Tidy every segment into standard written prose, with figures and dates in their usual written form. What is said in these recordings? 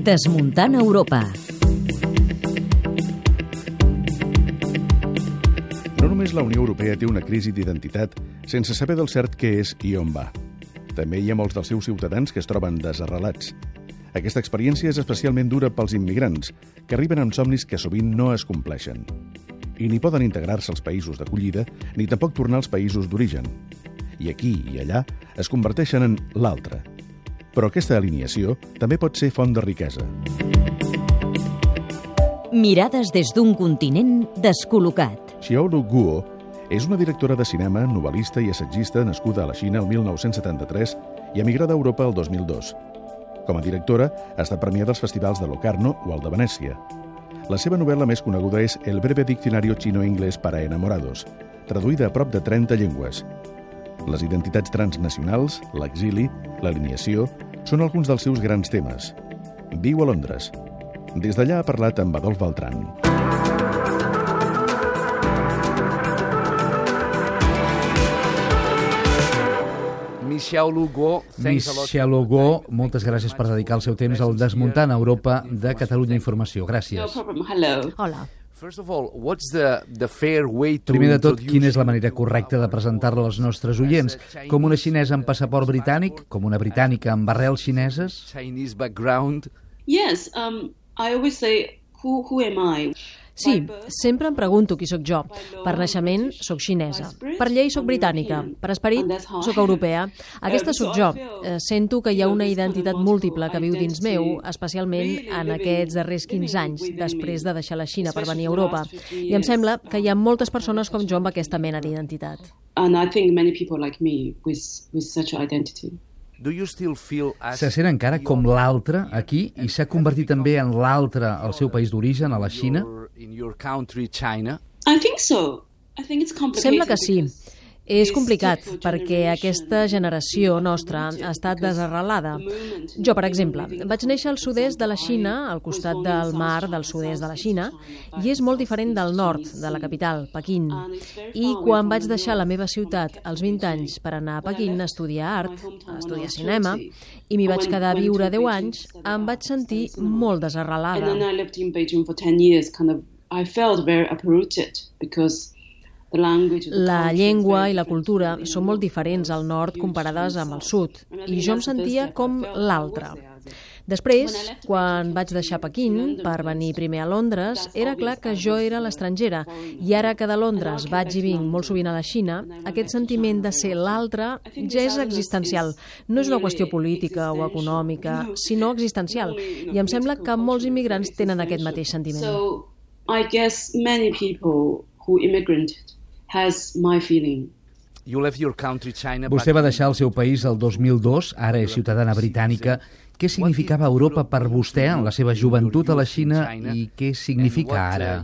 Desmuntant Europa. No només la Unió Europea té una crisi d'identitat sense saber del cert què és i on va. També hi ha molts dels seus ciutadans que es troben desarrelats. Aquesta experiència és especialment dura pels immigrants, que arriben amb somnis que sovint no es compleixen. I ni poden integrar-se als països d'acollida, ni tampoc tornar als països d'origen. I aquí i allà es converteixen en l'altre. Però aquesta alineació també pot ser font de riquesa. Mirades des d'un continent descol·locat. Xiaolu Guo és una directora de cinema, novel·lista i assagista nascuda a la Xina el 1973 i emigrada a Europa el 2002. Com a directora, ha estat premiada als festivals de Locarno o el de Venècia. La seva novel·la més coneguda és El breve diccionario chino-inglés para enamorados, traduïda a prop de 30 llengües. Les identitats transnacionals, l'exili, l'alineació, són alguns dels seus grans temes. Viu a Londres. Des d'allà ha parlat amb Adolf Beltran. Miss Xiaolu Guo, moltes gràcies per dedicar el seu temps al Desmuntant Europa de Catalunya Informació. Gràcies. Hola. Primer de tot, quina és la manera correcta de presentar-la als nostres oients? Com una xinesa amb passaport britànic? Com una britànica amb arrels xineses? Yes, I always say, who am I? Sí, sempre em pregunto qui sóc jo. Per naixement, sóc xinesa. Per llei, sóc britànica. Per esperit, sóc europea. Aquesta sóc jo. Sento que hi ha una identitat múltiple que viu dins meu, especialment en aquests darrers 15 anys, després de deixar la Xina per venir a Europa. I em sembla que hi ha moltes persones com jo amb aquesta mena d'identitat. And I think many people like me with such identity. Se sent encara com l'altre aquí i s'ha convertit també en l'altre al seu país d'origen, a la Xina? I think so. I think it's complicated. Sembla que sí. És complicat perquè aquesta generació nostra ha estat desarrelada. Jo, per exemple, vaig néixer al sud-est de la Xina, al costat del mar del sud-est de la Xina, i és molt diferent del nord, de la capital, Pequín. I quan vaig deixar la meva ciutat als 20 anys per anar a Pequín a estudiar art, a estudiar cinema, i m'hi vaig quedar a viure 10 anys, em vaig sentir molt desarrelada. And then I lived in Beijing for 10 years, I felt very uprooted because la llengua i la cultura són molt diferents al nord comparades amb el sud, i jo em sentia com l'altre. Després, quan vaig deixar Pequín per venir primer a Londres, era clar que jo era l'estrangera, i ara que de Londres vaig i vinc molt sovint a la Xina, aquest sentiment de ser l'altre ja és existencial. No és una qüestió política o econòmica, sinó existencial, i em sembla que molts immigrants tenen aquest mateix sentiment. So, I guess many people who immigrated has my feeling. Vostè va deixar el seu país el 2002, ara és ciutadana britànica. Què significava Europa per vostè en la seva joventut a la Xina i què significa ara?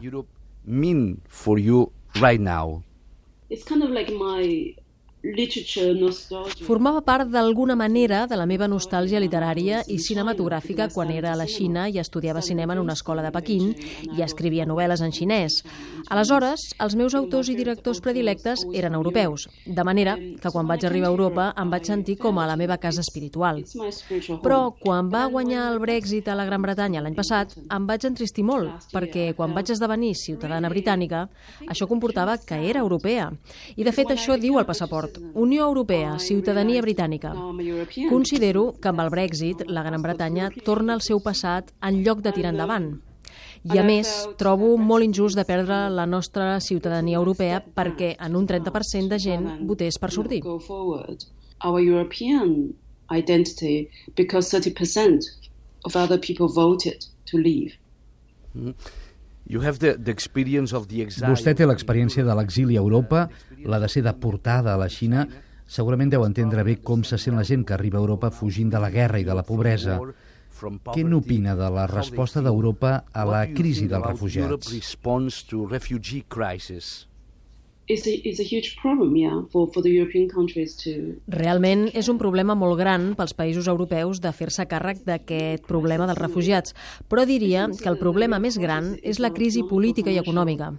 It's kind of like my literature nostalgia. Formava part d'alguna manera de la meva nostàlgia literària i cinematogràfica quan era a la Xina i estudiava cinema en una escola de Pequín i escrivia novel·les en xinès. Aleshores, els meus autors i directors predilectes eren europeus, de manera que quan vaig arribar a Europa em vaig sentir com a la meva casa espiritual. Però quan va guanyar el Brexit a la Gran Bretanya l'any passat, em vaig entristir molt, perquè quan vaig esdevenir ciutadana britànica, això comportava que era europea. I de fet això diu el passaport. Unió Europea, ciutadania britànica. Considero que amb el Brexit la Gran Bretanya torna al seu passat en lloc de tirar endavant. I a més, trobo molt injust de perdre la nostra ciutadania europea perquè en un 30% de gent votés per sortir. Our European identity because 30% of other people voted to leave. Vostè té l'experiència de l'exili a Europa, la de ser deportada a la Xina. Segurament deu entendre bé com se sent la gent que arriba a Europa fugint de la guerra i de la pobresa. Què n'opina de la resposta d'Europa a la crisi dels refugiats? It's a huge problem, for the European countries to... Realment és un problema molt gran pels països europeus de fer-se càrrec d'aquest problema dels refugiats, però diria que el problema més gran és la crisi política i econòmica.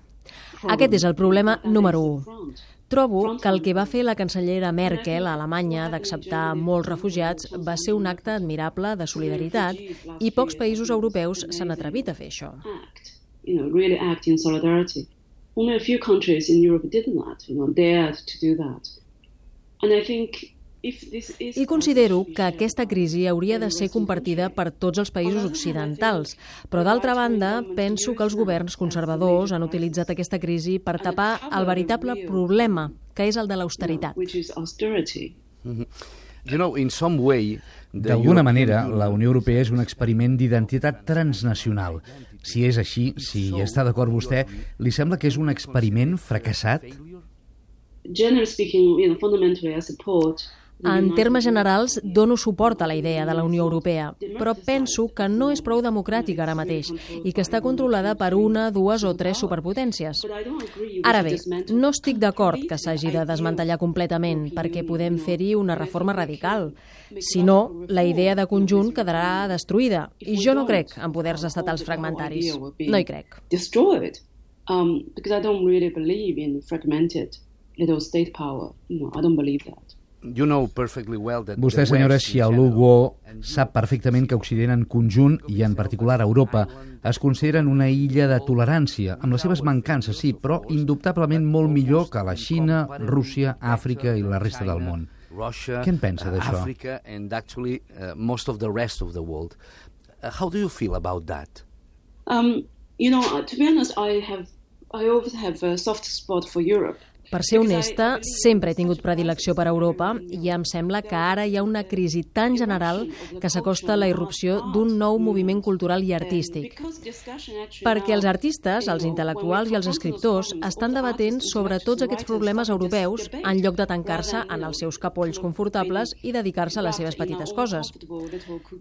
Aquest és el problema número 1. Trobo que el que va fer la cancellera Merkel a Alemanya d'acceptar molts refugiats va ser un acte admirable de solidaritat i pocs països europeus s'han atrevit a fer això. Really act in solidarity. Only a few countries in Europe did not, dared to do that. And I think I considero que aquesta crisi hauria de ser compartida per tots els països occidentals, però d'altra banda penso que els governs conservadors han utilitzat aquesta crisi per tapar el veritable problema, que és el de l'austeritat. D'alguna manera, la Unió Europea és un experiment d'identitat transnacional. Si és així, si hi està d'acord vostè, li sembla que és un experiment fracassat? Generally speaking, fundamentally I support. En termes generals, dono suport a la idea de la Unió Europea, però penso que no és prou democràtica ara mateix i que està controlada per una, dues o tres superpotències. Ara bé, no estic d'acord que s'hagi de desmantellar completament perquè podem fer-hi una reforma radical. Si no, la idea de conjunt quedarà destruïda i jo no crec en poders estatals fragmentaris. No hi crec. Because I don't really believe in fragmented little state power. I don't believe that. Vostè, senyora Xiaoluo, sap perfectament que Occident en conjunt, i en particular Europa, es consideren una illa de tolerància, amb les seves mancances, sí, però indubtablement molt millor que la Xina, Rússia, Àfrica i la resta del món. Què en pensa d'això? How do you feel about that? To be honest, I always have a soft spot for Europe. Per ser honesta, sempre he tingut predilecció per Europa i em sembla que ara hi ha una crisi tan general que s'acosta a la irrupció d'un nou moviment cultural i artístic. Perquè els artistes, els intel·lectuals i els escriptors estan debatent sobre tots aquests problemes europeus en lloc de tancar-se en els seus capolls confortables i dedicar-se a les seves petites coses.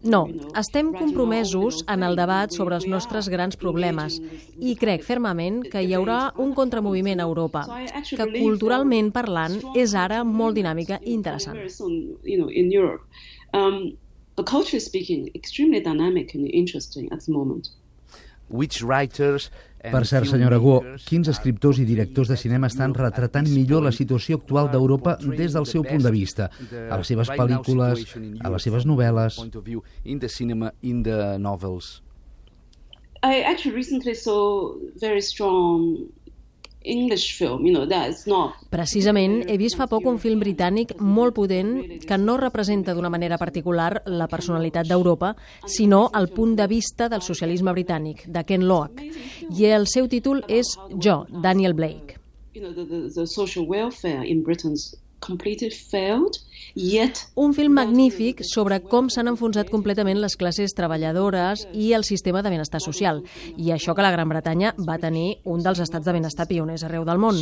No, estem compromesos en el debat sobre els nostres grans problemes i crec fermament que hi haurà un contramoviment a Europa, que culturalment parlant és ara molt dinàmica i interessant. Per cert, senyora Guo, quins escriptors i directors de cinema estan retratant millor la situació actual d'Europa des del seu punt de vista? A les seves pel·lícules, a les seves novel·les? I actually recently saw very strong English film, that's not. Precisament, he vist fa poc un film britànic molt potent que no representa d'una manera particular la personalitat d'Europa, sinó el punt de vista del socialisme britànic, de Ken Loach. I el seu títol és Jo, Daniel Blake. The social welfare in Britain's completely failed, yet... Un film magnífic sobre com s'han enfonsat completament les classes treballadores i el sistema de benestar social. I això que la Gran Bretanya va tenir un dels estats de benestar pioners arreu del món.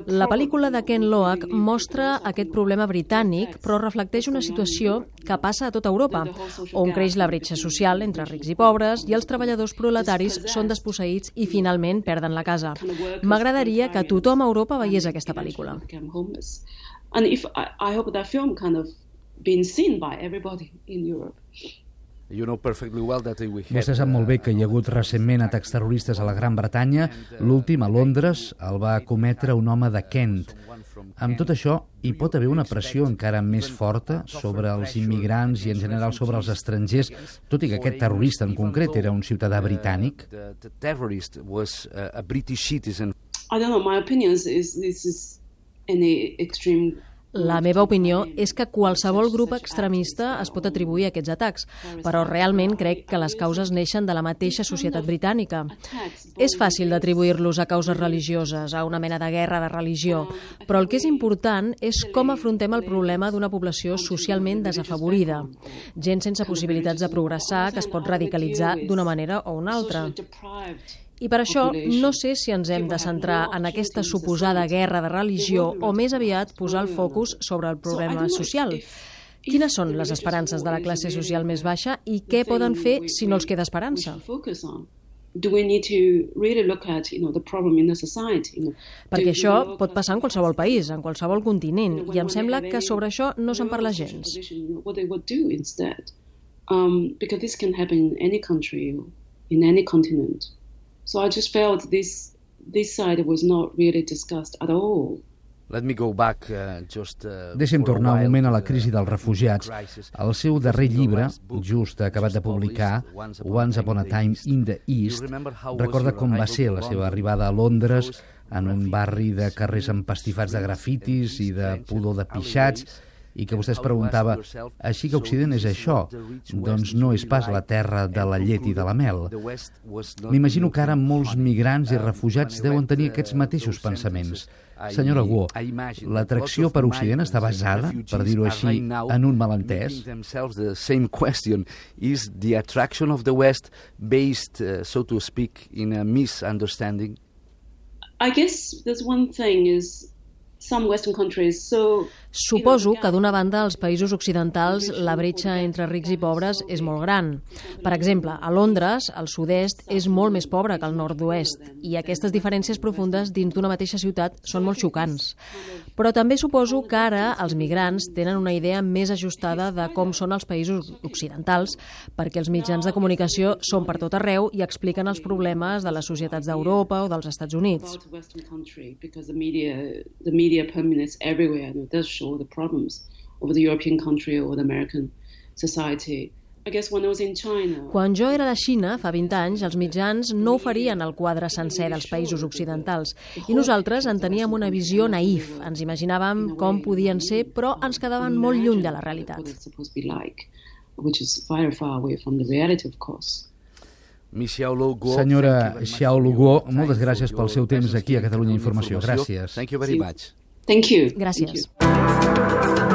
La pel·lícula de Ken Loach mostra aquest problema britànic, però reflecteix una situació que passa a tota Europa, on creix la bretxa social entre rics i pobres i els treballadors proletaris són desposseïts i finalment perden la casa. M'agradaria que tothom a Europa veiés aquesta pel·lícula. And I hope that film kind of been seen by everybody in Europe. Vostè sap molt bé que hi ha hagut recentment atacs terroristes a la Gran Bretanya. L'últim, a Londres, el va cometre un home de Kent. Amb tot això, hi pot haver una pressió encara més forta sobre els immigrants i en general sobre els estrangers, tot i que aquest terrorista en concret era un ciutadà britànic? I don't know, my opinion is this is any extreme. La meva opinió és que qualsevol grup extremista es pot atribuir a aquests atacs, però realment crec que les causes neixen de la mateixa societat britànica. És fàcil d'atribuir-los a causes religioses, a una mena de guerra de religió, però el que és important és com afrontem el problema d'una població socialment desafavorida, gent sense possibilitats de progressar que es pot radicalitzar d'una manera o una altra. I per això no sé si ens hem de centrar en aquesta suposada guerra de religió o més aviat posar el focus sobre el problema social. Quines són les esperances de la classe social més baixa i què poden fer si no els queda esperança? Perquè això pot passar en qualsevol país, en qualsevol continent, i em sembla que sobre això no se'n parla gens. Because this can happen in any country, in any continent. So I just felt this side was not really discussed at all Deixem tornar un moment a la crisi dels refugiats. El seu darrer llibre, just acabat de publicar, Once Upon a Time in the East, recorda com va ser la seva arribada a Londres, en un barri de carrers empastifats de grafitis i de pudor de pixats, i que vostè es preguntava, així que Occident és això? Doncs no és pas la terra de la llet i de la mel. M'imagino que ara molts migrants i refugiats deuen tenir aquests mateixos pensaments. Senyora Guo, l'atracció per Occident està basada, per dir-ho així, en un malentès? Is the attraction of the West based, so to speak, in a misunderstanding? I guess there's one thing is some Western countries so Suposo que, d'una banda, als països occidentals la bretxa entre rics i pobres és molt gran. Per exemple, a Londres, el sud-est és molt més pobre que el nord-oest, i aquestes diferències profundes dins d'una mateixa ciutat són molt xocants. Però també suposo que ara els migrants tenen una idea més ajustada de com són els països occidentals, perquè els mitjans de comunicació són per tot arreu i expliquen els problemes de les societats d'Europa o dels Estats Units. The media permeates everywhere, and it does show the problems of the European country or the American society. I guess when I was in China... Quan jo era a la Xina, fa 20 anys, els mitjans no oferien el quadre sencer dels països occidentals i nosaltres en teníem una visió naïf. Ens imaginàvem com podien ser, però ens quedaven molt lluny de la realitat. Senyora Xiaolu Guo, moltes gràcies pel seu temps aquí a Catalunya Informació. Gràcies. Thank you very much. Thank you. Gràcies.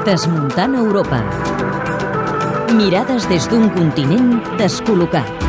Desmuntant Europa. Mirades des d'un continent descol·locat.